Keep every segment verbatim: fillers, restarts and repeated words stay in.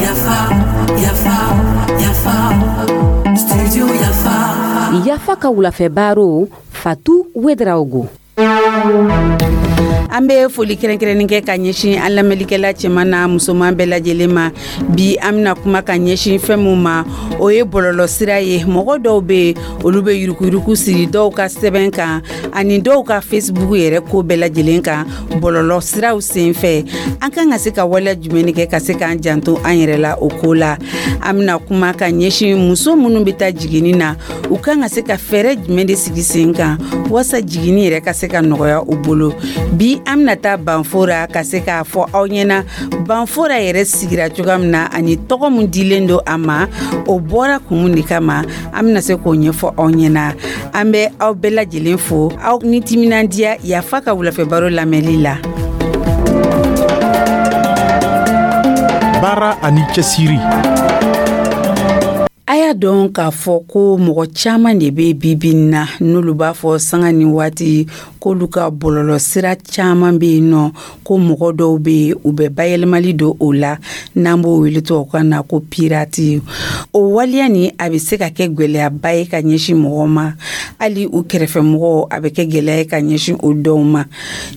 Yafa, Yafa, Yafa, Studio Yafa. Yafa ka wulafɛ baro, Fatu Wedraogo. An bɛ foli kɛrɛnkɛrɛnnen kɛ ka ɲɛsin an lamɛnlikɛla cɛman n'a musoman bɛɛ lajɛlen ma. Bi, an bɛna kuma ka ɲɛsin fɛn min ma, o ye bɔlɔlɔsira ye. Mɔgɔ dɔw bɛ yen, olu bɛ yuruguyurugu siri dɔw ka sɛbɛn kan ani dɔw ka Facebook yɛrɛ, ko bɛɛ lajɛlen kan bɔlɔlɔ siraw senfɛ. An kan ka se ka waleya jumɛn kɛ ka se k'an janto an yɛrɛ la o ko la? An bɛna kuma ka ɲɛsin muso minnu bɛ taa jiginni na, u kan ka se ka fɛɛrɛ jumɛn de sigi sen kan walasa jiginni yɛrɛ ka se ka nɔgɔya u bolo? Bi, an bɛna taa Banfora ka se k'a fɔ aw ɲɛna Banfora yɛrɛ sigira cogoya min na ani tɔgɔ min dilen don a ma, o bɔra kun de kama. An bɛna se k'o ɲɛfɔ aw ɲɛna. An bɛ aw bɛɛ lajɛlen fo aw ni timinandiya Yafa ka wulafɛ baro lamɛnli la. Baara ani cɛsiri. A y'a dɔn k'a fɔ ko mɔgɔ caman de bɛ bibi na, n'olu b'a fɔ sanga ni waati k'olu ka bɔlɔlɔ sira caman bɛ yen nɔ, ko mɔgɔ dɔw bɛ yen, u bɛ bayɛlɛmali don o la, n'an b'o wele tubabukan na ko pirate. O waleya nin, a bɛ se ka kɛ gɛlɛyaba ye ka ɲɛsin mɔgɔ ma, hali u kɛrɛfɛ mɔgɔw, a bɛ kɛ gɛlɛya ye ka ɲɛsin o dɔw ma.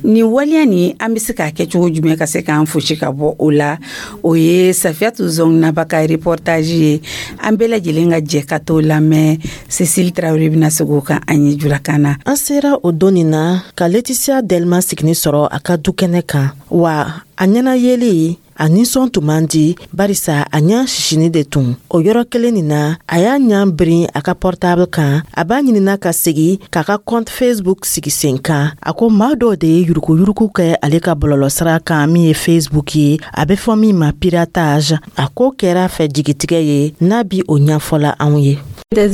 Nin waleya nin, an bɛ se k'a kɛ cogo jumɛn ka se k'an fosi ka bɔ o la? O ye Safiyatu Zɔnaba ka reportage ye. An bɛɛ lajɛlen ka jɛ ka t'o lamɛn. Cécile Traoré bɛna segin o kan an ye julakan na. An sera o don nin na ka Laetitia Delma sigini sɔrɔ a ka du kɛnɛ kan wa. A ɲɛna yeli, a nisɔn tun man di, barisa a ɲa sisini de tun. O yɔrɔ kelen nin na, a y'a ɲa birin a ka portable kan, a b'a ɲinina ka segi k'a ka compte Facebook sigi sen kan. A ko maa dɔw de ye yuruguyurugu kɛ ale ka bɔlɔlɔsira kan, min ye Facebook ye, a bɛ fɔ min ma piratage. A ko kɛra fɛ jigitigɛ ye, n'a bi o ɲɛfɔla anw ye. Ne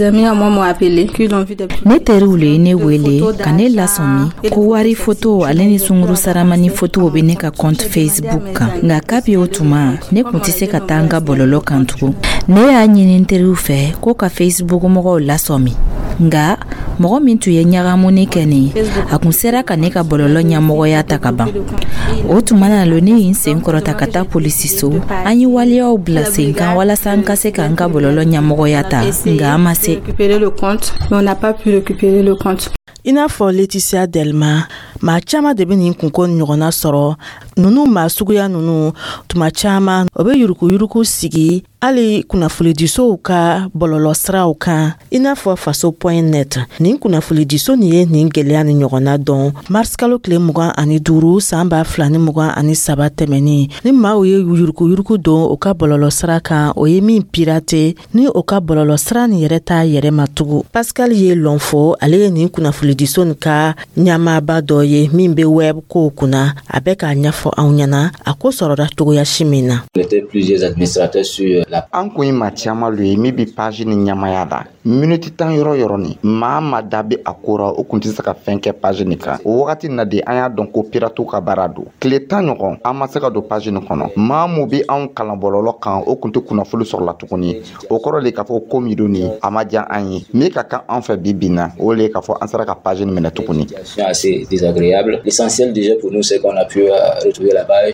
teriw le ye ne wele ka ne lasɔmi ko wari foto ale ni sunguru saramani fotow bɛ ne ka compte Facebook kan. Nka kabi o tuma, ne kun tɛ se ka taa n ka bɔlɔlɔ kan tugun. Ne y'a ɲini n teriw fɛ ko ka Facebook mɔgɔw lasɔmi, nga mɔgɔ min tun ye ɲagamuni kɛ nin, a kun sera ka ne ka bɔlɔlɔ ɲɛmɔgɔya ta ka ban. O tuma na lo, ne ye n sen kɔrɔta ka taa polisiso. An ye waleyaw bila sen kan walasa n ka se ka n ka bɔlɔlɔ ɲɛmɔgɔya ta, nga an ma se. I n'a fɔ Laetitia Delma, maa caaman de be nin kunko ɲɔgɔnna sɔrɔ. Nunu maa suguya nunu, tuma caaman o be yuruguyurugu sigi hali kunnafonidisow ka bɔlɔlɔsiraw kan, i n'a fɔ faso point net. Nin kunnafonidiso nin ye nin gwɛlɛya ni ɲɔgɔnna dɔn marisikalo tile mugan ani duuru san ba fila ni mugan ani saba tɛmɛnin. Ni maaw ye yuruguyurugu don o ka bɔlɔlɔsira kan, o ye min pirate, ni o ka bɔlɔlɔsira nin yɛrɛ t'a yɛrɛ ma tugun. Pascal ye lɔn fɔ, ale ye nin kunnafonidiso nin ka ɲɛmaaba dɔ ye min be web kow kunna. A bɛ k'a ɲɛfɔ anw ɲɛna a ko sɔrɔla cogoya si min na. An kun ye maa caman lo ye min bi page ni ɲamaya la. Miniti tan yɔrɔ yɔrɔ ni maa ma da bɛ a ko ra, o kun tɛ se ka fɛn kɛ page nin kan. O wagati na de, an y'a dɔn ko piratew ka baara don. Tile tan ɲɔgɔn, an ma se ka don page nin kɔnɔ. Maa mun bi anw kalan bɔlɔlɔ kan, o kun tɛ kunnafoni sɔrɔ la tuguni. O kɔrɔ de k'a fɔ ko min don nin, a ma diya an ye. Min ka kan an fɛ bi bi na, o le ye k'a fɔ an sera ka page nin minɛ tuguni. L'essentiel déjà pour nous, c'est qu'on a pu retrouver la page.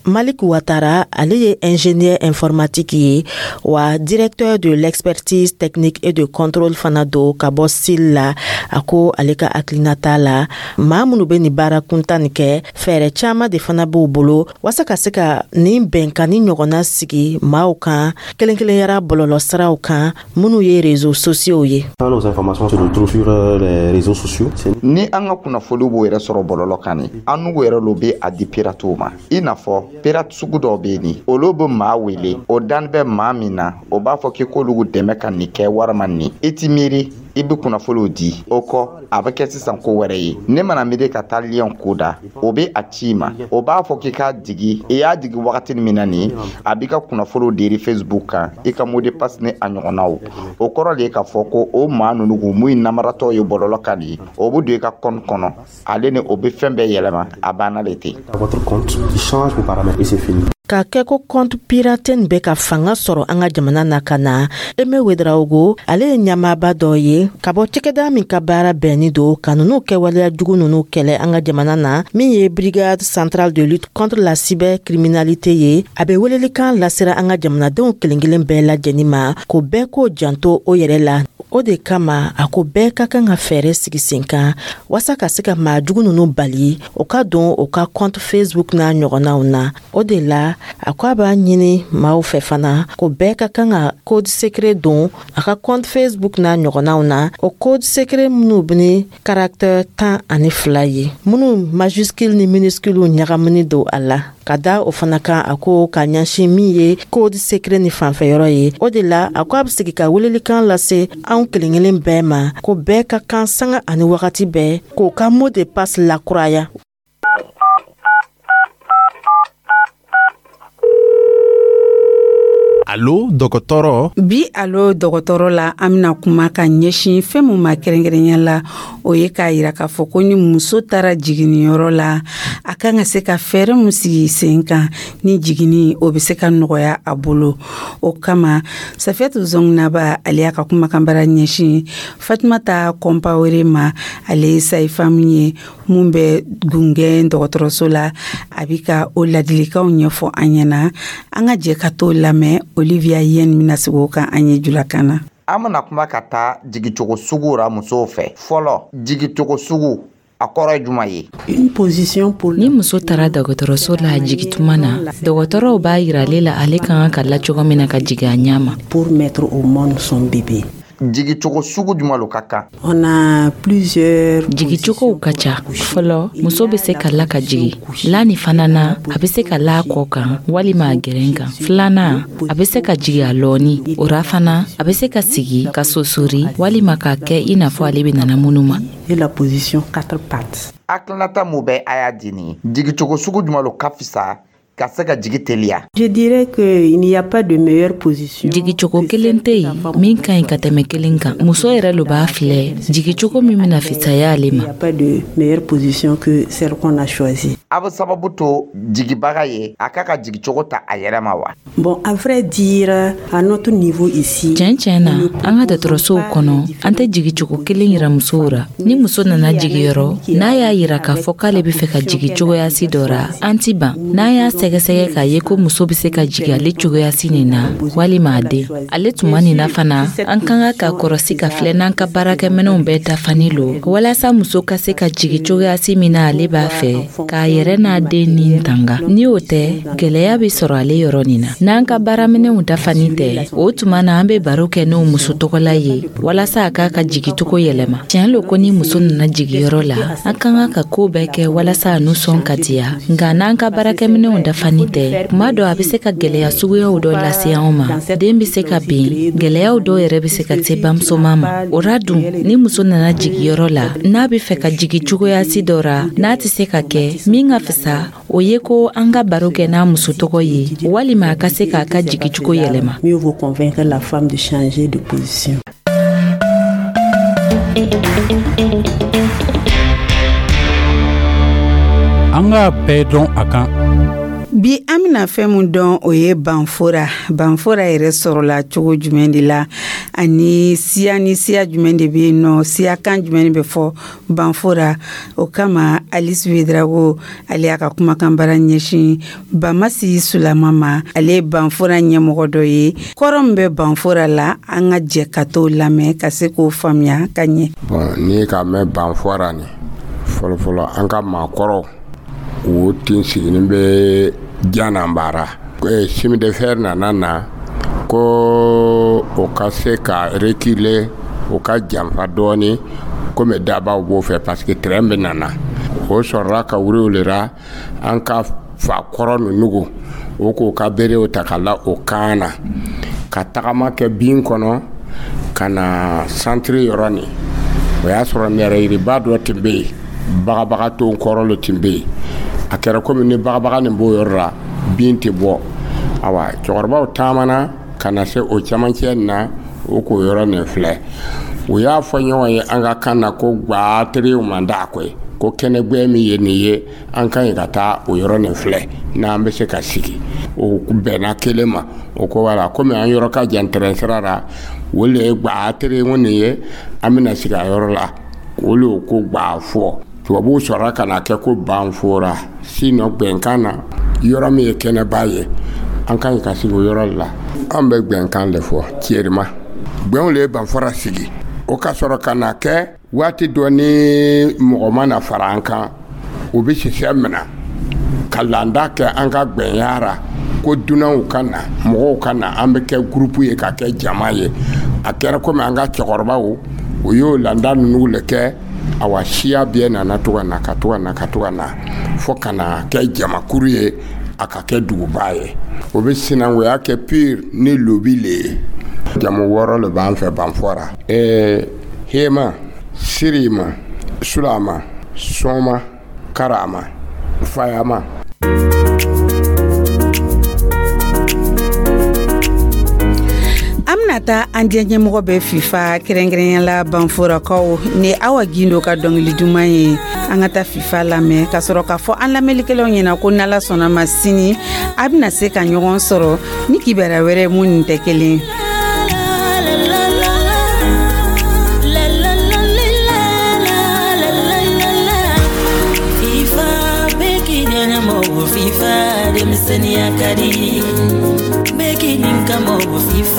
Malik Ouattara, ale ye ingénieur informatique ye wa directeur de l'expertise technique et de contrôle fana do ka bɔ S I L la. A ko ale ka hakilinata la, maa minnu bɛ nin baara kuntan nin kɛ, fɛɛrɛ caaman de fana b'u bolo waasa ka se ka nin bɛnkanni ɲɔgɔnna sigi maaw kan, kelen kelenyara bɔlɔlɔsiraw kan minnu ye réseaux sociaux ye. Ni an ka kunnafoniw b'o yɛrɛ sɔrɔ bɔlɔlɔ kan ni an n'u yɛrɛ lo bɛ a di piratew ma, i n'a fɔ pirate sugu dɔw bɛ yen, ni olu bɛ maa wele, o dan bɛ maa min na, o b'a fɔ k'i k'olu dɛmɛ ka nin kɛ walima nin. I ti miiri, i bɛ kunnafoniw di. O kɔ, a bɛ kɛ sisan ko wɛrɛ ye. Ne mana miiri ka taa lien ko da, o bɛ a ci i ma, o b'a fɔ k'i k'a digi. I y'a digi wagati min na nin, a b'i ka kunnafoniw deri Facebook kan, i ka mot de passe ni a ɲɔgɔnnaw. O kɔrɔ de ye k'a fɔ ko o maa ninnu kun mun ye namaratɔ ye bɔlɔlɔ kan nin, o bɛ don i ka compte kɔnɔ, ale ni o bɛ fɛn bɛɛ yɛlɛma, a banna le ten. K'a kɛ ko compte pirate nin bɛ ka fanga sɔrɔ an ka jamana na ka na. Eme Wedraogo, ale ye ɲɛmaaba dɔ ye ka bɔ cakɛda min ka baara bɛnni don ka nunu kɛwaleya jugu nunu kɛlɛ an ka jamana na, min ye Brigade centrale de lutte contre la cybercriminalité ye. A bɛ welelikan lasera an ka jamanadenw kelen kelen bɛɛ lajɛnin ma ko bɛɛ k'o janto o yɛrɛ la. O de kama, a ko bɛɛ ka kan ka fɛɛrɛ sigi sen kan waasa ka se ka maa jugu nunu bali o ka don o ka compte Facebook n'a ɲɔgɔnnaw na. O de la, a ko a b'a ɲini maaw fɛ fana ko bɛɛ ka kan ka code secret don a ka compte Facebook n'a ɲɔgɔnnaw na, o code secret minnu bɛ ni caractère tan ani fila ye, minnu majuscule ni minuscule ɲagamuni don a la. Ka da o fana kan, a ko ka ɲɛsin min ye code secret ni fanfɛyɔrɔ ye. O de la, a ko a bɛ sigi ka welelikan lase anw kelen kelen bɛɛ ma ko bɛɛ ka kan sanga ani wagati bɛɛ k'o ka mot de passe lakuraya. Alo dɔgɔtɔrɔ. Bi Alo dɔgɔtɔrɔ la, an bɛna kuma ka ɲɛsin fɛn mun ma kɛrɛnkɛrɛnya la, o ye k'a yira k'a fɔ ko ni muso taara jiginniyɔrɔ la, a kan ka se ka fɛɛrɛ mun sigi sen kan ni jiginni o bɛ se ka nɔgɔya a bolo. O kama, Safiyatu Zɔnginaba, ale y'a ka kumakanbara ɲɛsin Fatumata Kɔnpawere ma. Ale ye sage-femme ye mun bɛ Gungɛn dɔgɔtɔrɔso la. A bɛ ka o ladilikanw ɲɛfɔ an ɲɛna. An ka jɛ ka t'o lamɛn. Olivia Yen bɛna sigi o kan an ye julakan na. An bɛna kuma ka taa jigicogo sugu ra musow fɛ. Fɔlɔ, jigicogo sugu, a kɔrɔ ye jumɛn ye? Ni muso taara dɔgɔtɔrɔso la a jigituma na, dɔgɔtɔrɔw b'a yira ale la ale ka kan ka la cogo min na ka jigin a ɲɛ ma. Pour mettre au monde son bébé. Jigicogo sugu jumɛn lo ka kan? On a plusieurs Jigicogow ka ca. Fɔlɔ, muso bɛ se ka la ka jigi la nin fana na, a bɛ se ka la a kɔ kan walima a gɛrɛn kan. Filanan, a bɛ se ka jigi a lɔɔni. O ra fana, a bɛ se ka sigi ka sosori walima k'a kɛ i n'a fɔ ale bɛ nana minnu ma. Et la position quatre pattes. Hakilinata mun bɛ a y'a di nin? Jigicogo sugu jumɛn lo ka fisa ka se ka jigi teliya? Je dirais que il n'y a pas de meilleure position. Jigicogo kelen tɛ yen min ka ɲi ka tɛmɛ kelen kan. Muso yɛrɛ lo b'a filɛ jigicogo min bɛna fisaya ale Il ma. n'y a pas de meilleure position que celle qu'on a choisie. A bɛ sababu to jigibaga ye a k'a ka jigicogo ta a yɛrɛ ma wa? Bon, à vrai dire, à notre niveau ici, Tiɲɛ tiɲɛ na, an ka dɔgɔtɔrɔsow kɔnɔ, an tɛ jigicogo kelen yira musow ra. Ni muso nana jigiyɔrɔ n'a y'a yira k'a fɔ k'ale bɛ fɛ ka jigi cogoyasi dɔ ra, an ti ban. N'an y'a sɛgɛsɛgɛ k'a ye ko muso bɛ se ka jigi ale cogoyasi nin na walima a den ale tuma nin na fana, an ka kan ka kɔrɔsi ka filɛ n'an ka baarakɛminɛnw bɛɛ dafani lo walasa muso ka se ka jigi cogoyasi min na ale b'a fɛ k'a yɛrɛ n'a den nin tanga. Ni o tɛ, gwɛlɛya bɛ sɔrɔ ale yɔrɔ nin na. N'an ka baaraminɛnw dafani tɛ, o tuma na an bɛ baro kɛ n'o muso tɔgɔla ye walasa a k'a ka jigicogo yɛlɛma. Tiɲɛ lo ko ni muso nana jigiyɔrɔ la, an ka kan ka ko bɛɛ kɛ walasa a nisɔn ka diya, nka n'an ka baarakɛminɛnw dafani tɛ, kuma dɔ a bɛ se ka gwɛlɛya suguyaw dɔ lase anw ma. Den bɛ se ka bin, gwɛlɛyaw dɔw yɛrɛ bɛ se ka se bamusoman ma. O ra dun, ni muso nana jigiyɔrɔ la n'a bɛ fɛ ka jigi cogoyasi dɔ ra n'a tɛ se ka kɛ, min ka fisa, o ye ko an ka baro kɛ n'a muso tɔgɔ ye walima a ka se k'a ka jigicogo yɛlɛma. Mieux vaut convaincre la femme de changer de position. An k'a bɛɛ dɔn a kan. Bi, an bɛna fɛn mun dɔn, o ye banfora. Banfora yɛrɛ sɔrɔla cogo jumɛn de la, ani siya ni siya jumɛn de bɛ yen nɔ, siyakan jumɛn de bɛ fɔ banfora? O kama, Alice Wedrago, ale y'a ka kumakanbara ɲɛsin Bamasi Sulama ma. Ale ye banfora ɲɛmɔgɔ dɔ ye. Kɔrɔ min bɛ banfora la, an ka jɛ ka t'o lamɛn ka se k'o faamuya ka ɲɛ. Bon, n'i ka mɛn banfora nin, fɔlɔfɔlɔ an ka maakɔrɔw o tin siginin bɛ Jananbara. Chemin de fer nana na ko o ka se ka reculer, o ka janfa dɔɔni komi dabaw b'o fɛ parce que train bɛ nana. O sɔrɔla ka wuli o le ra an ka fakɔrɔ ninnu o k'o ka berew ta ka la o kan na ka tagama kɛ bin kɔnɔ ka na centre yɔrɔ nin. O y'a sɔrɔ nɛrɛyiriba dɔ tun bɛ yen, bagabaga ton kɔrɔ le tun bɛ yen. A kɛra komi ni bagabaga nin b'o yɔrɔ la, bin tɛ bɔ. Awa, cɛkɔrɔbaw taamana ka na se o camancɛ nin na, o k'o yɔrɔ nin filɛ. U y'a fɔ ɲɔgɔn ye an ka kan na ko gba teriw man d'a koyi. Ko kɛnɛgbɛn min ye nin ye, an ka ɲi ka taa o yɔrɔ nin filɛ n'an bɛ se ka sigi. O bɛnna kelen ma. O ko wala, komi an yɔrɔ ka jan tɛrɛn sira la, o le ye gba tere nin ye, an bɛna sigi a yɔrɔ la. O le ko gba fɔ. Tubabuw sɔrɔla ka na kɛ ko Banfora. Sinon, gbɛnkan na, yɔrɔ min ye kɛnɛba ye, an ka ɲi ka sigi o yɔrɔ la. An bɛ gbɛnkan de fɔ cɛrima. Gbɛnw le ye Banfora sigi. O ka sɔrɔ ka na kɛ waati dɔ ni mɔgɔ ma na fara an kan, u bɛ sisɛ minɛ ka landa kɛ an ka gbɛnya ra, ko dunanw ka na, mɔgɔw ka na, an bɛ kɛ groupe ye, ka kɛ jama ye. A kɛra komi an ka cɛkɔrɔbaw, o y'o landa ninnu le kɛ. Awa, siya bɛɛ nana to ka na, ka to ka na, ka to ka na, fo ka na kɛ jamakuru ye, a ka kɛ duguba ye. O bɛ sinankunya kɛ pire ni lobi le ye. Jamu wɔɔrɔ le b'an fɛ Banfora: ɛɛ hema, Sirima, Sulama, Sɔma, Karama, Fayama. An bɛna taa an diɲɛ ɲɛmɔgɔ bɛ FIFA, kɛrɛnkɛrɛnya la Banforakaw ni Awa Gindo ka dɔnkili duman ye. An ka taa FIFA lamɛn ka sɔrɔ k'a fɔ an lamɛnlikɛlaw ɲɛna ko n'Ala sɔnna ma, sini a bɛna se ka ɲɔgɔn sɔrɔ ni kibaruya wɛrɛ mun nin tɛ kelen. FIFA, denmisɛnninya ka di bɛɛ k'i nin ka mɔgɔ FIFA.